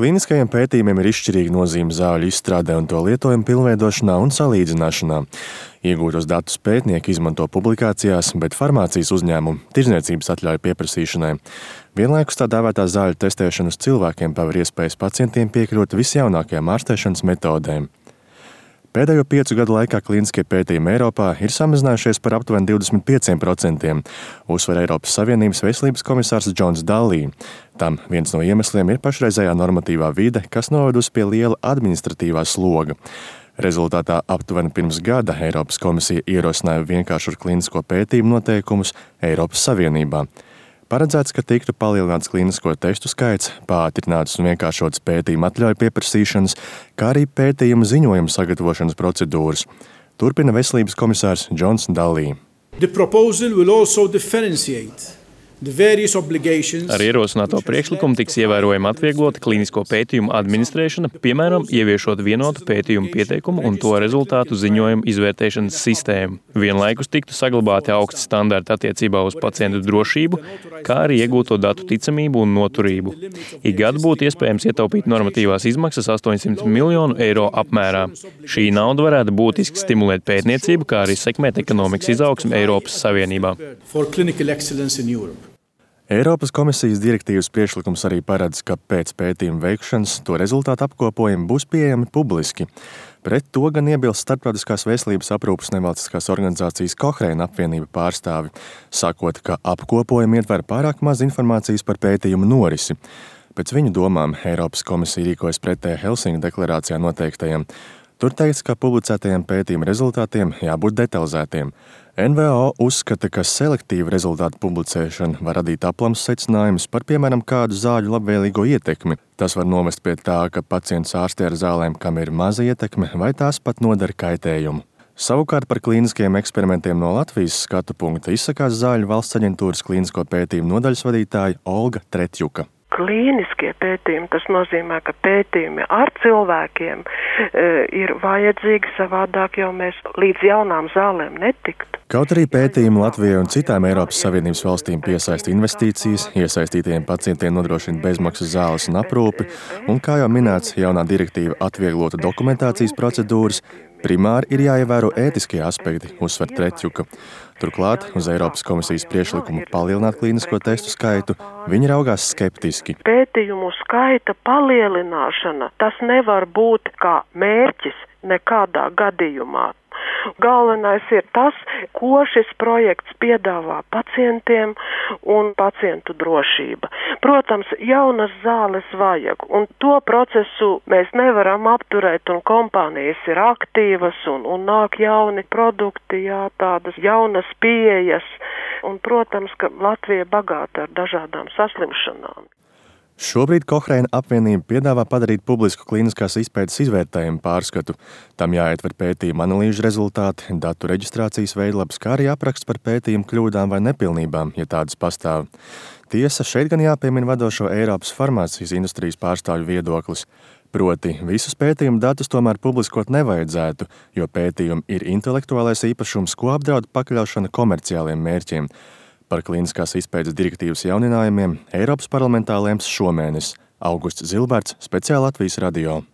Klīniskajiem pētījumiem ir izšķirīga nozīme zāļu izstrādē un to lietojumu pilnveidošanā un salīdzināšanā. Iegūtos datus pētnieki izmanto publikācijās, bet farmācijas uzņēmumu tirdzniecības atļauju pieprasīšanai. Vienlaikus tā dēvētā zāļu testēšana uz cilvēkiem paver iespējas pacientiem piekļūt visjaunākajām ārstēšanas metodēm. Pēdējo 5 gadu laikā klīniskie pētījumi Eiropā ir samazinājušies par aptuveni 25%, uzsver Eiropas Savienības veselības komisārs Džons Dallī. Tam viens no iemesliem ir pašreizējā normatīvā vide, kas novedusi pie liela administratīvā sloga. Rezultātā aptuveni pirms gada Eiropas komisija ierosināja vienkāršu klīnisko pētījumu noteikumus Eiropas Savienībā. Paredzēts, ka tiktu palielināts klīnisko testu skaits, pātrinātas un vienkāršotas pētījuma atļauju pieprasīšanas, kā arī pētījuma ziņojuma sagatavošanas procedūras. Turpina veselības komisārs Džons Dallī. Ar ierosināto priekšlikumu tiks ievērojami atvieglota klīnisko pētījumu administrēšana, piemēram, ieviešot vienotu pētījumu pieteikumu un to rezultātu ziņojumu izvērtēšanas sistēmu. Vienlaikus tiktu saglabāti augsti standarti attiecībā uz pacientu drošību, kā arī iegūto datu ticamību un noturību. Ik gadu būtu iespējams ietaupīt normatīvās izmaksas 800 miljonu eiro apmērā. Šī nauda varētu būtiski stimulēt pētniecību, kā arī sekmēt ekonomikas izaugsmi Eiropas Savienībā. Eiropas komisijas direktīvas priekšlikums arī paredz, ka pēc pētījuma veikšanas to rezultātu apkopojumi būs pieejami publiski. Pret to gan iebilst Starptautiskās veselības aprūpes nevalstiskās organizācijas Cochrane apvienība pārstāvi, sakot, ka apkopojumi ietver pārāk maz informācijas par pētījumu norisi. Pēc viņu domām Eiropas komisija rīkojas pretēji Helsinku deklarācijā noteiktajiem. Tur teikts, ka publicētajiem pētījuma rezultātiem jābūt detalizētiem. NVO uzskata, ka selektīva rezultātu publicēšana var radīt aplams secinājumus par, piemēram, kādu zāļu labvēlīgo ietekmi. Tas var novest pie tā, ka pacients ārstē ar zālēm, kam ir maza ietekme, vai tās pat nodara kaitējumu. Savukārt par klīniskajiem eksperimentiem no Latvijas skatu punkta izsakās Zāļu valsts aģentūras klīnisko pētījumu nodaļas vadītāja Olga Tretjuka. Klīniskie pētījumi, tas nozīmē, ka pētījumi ar cilvēkiem ir vajadzīgi, savādāk jau mēs līdz jaunām zālēm netiktu. Kaut arī pētījumi Latvijai un citām Eiropas Savienības valstīm piesaista investīcijas, iesaistītajiem pacientiem nodrošina bezmaksas zāles un aprūpi, un, kā jau minēts, jaunā direktīva atvieglota dokumentācijas procedūras, primāri ir jāievēro ētiskie aspekti, uzsver Tretjuka. Turklāt uz Eiropas komisijas priekšlikumu palielināt klīnisko testu skaitu viņi raugās skeptiski. Pētījumu skaita palielināšana, tas nevar būt kā mērķis nekādā gadījumā. Galvenais ir tas, ko šis projekts piedāvā pacientiem un pacientu drošība. Protams, jaunas zāles vajag, un to procesu mēs nevaram apturēt, un kompānijas ir aktīvas, un nāk jauni produkti, tādas jaunas pieejas, un, protams, ka Latvija bagāta ar dažādām saslimšanām. Šobrīd Cochrane apvienība piedāvā padarīt publisku klīniskās izpētes izvērtējumu pārskatu. Tam jāietver pētījuma analīžu rezultāti, datu reģistrācijas veidlapas, kā arī apraksts par pētījumu kļūdām vai nepilnībām, ja tādas pastāv. Tiesa, šeit gan jāpiemina vadošo Eiropas farmācijas industrijas pārstāvju viedoklis. Proti, visus pētījumu datus tomēr publiskot nevajadzētu, jo pētījumi ir intelektuālais īpašums, ko apdraud pakļaušana komerciāliem mērķiem. Par klīniskās izpētes direktīvas jauninājumiem Eiropas parlamentā lems šomēnes. Augusts Zilberts, speciāli Latvijas radio.